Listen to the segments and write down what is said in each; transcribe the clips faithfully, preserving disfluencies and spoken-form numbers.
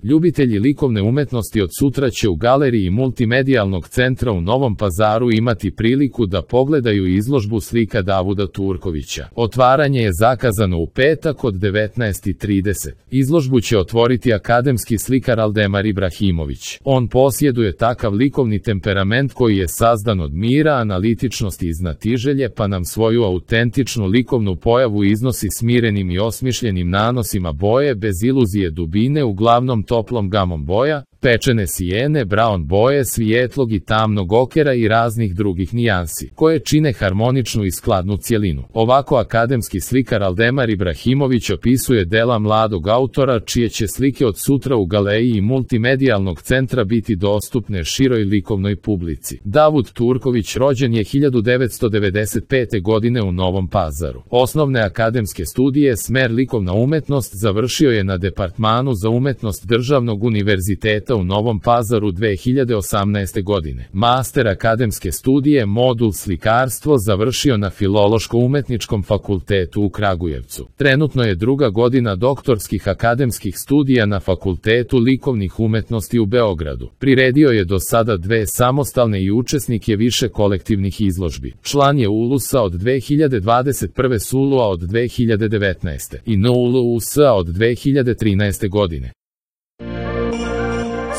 Ljubitelji likovne umetnosti od sutra će u galeriji Multimedijalnog centra u Novom Pazaru imati priliku da pogledaju izložbu slika Davuda Turkovića. Otvaranje je zakazano u petak od devetnaest i trideset. Izložbu će otvoriti akademski slikar Aldemar Ibrahimović. On posjeduje takav likovni temperament koji je sazdan od mira, analitičnosti i znatiželje, pa nam svoju autentičnu likovnu pojavu iznosi smirenim i osmišljenim nanosima boje bez iluzije dubine, uglavnom toplom gamom boja, pečene sijene, brown boje, svijetlog i tamnog okera i raznih drugih nijansi, koje čine harmoničnu i skladnu cjelinu. Ovako akademski slikar Aldemar Ibrahimović opisuje dela mladog autora, čije će slike od sutra u galeriji Multimedijalnog centra biti dostupne široj likovnoj publici. Davud Turković rođen je hiljadu devetsto devedeset pete. godine u Novom Pazaru. Osnovne akademske studije smer likovna umetnost završio je na Departmanu za umetnost Državnog univerziteta u Novom Pazaru dve hiljade osamnaeste. godine. Master akademske studije modul slikarstvo završio na Filološko-umetničkom fakultetu u Kragujevcu. Trenutno je druga godina doktorskih akademskih studija na Fakultetu likovnih umetnosti u Beogradu. Priredio je do sada dve samostalne i učesnik je više kolektivnih izložbi. Član je U L U S-a od dve hiljade dvadeset prve. S U L U-a od dve hiljade devetnaeste. i N U L U S-a od dve hiljade trinaeste. godine.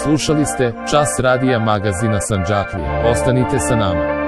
Slušali ste Čas radija magazina Sandžaklija. Ostanite sa nama.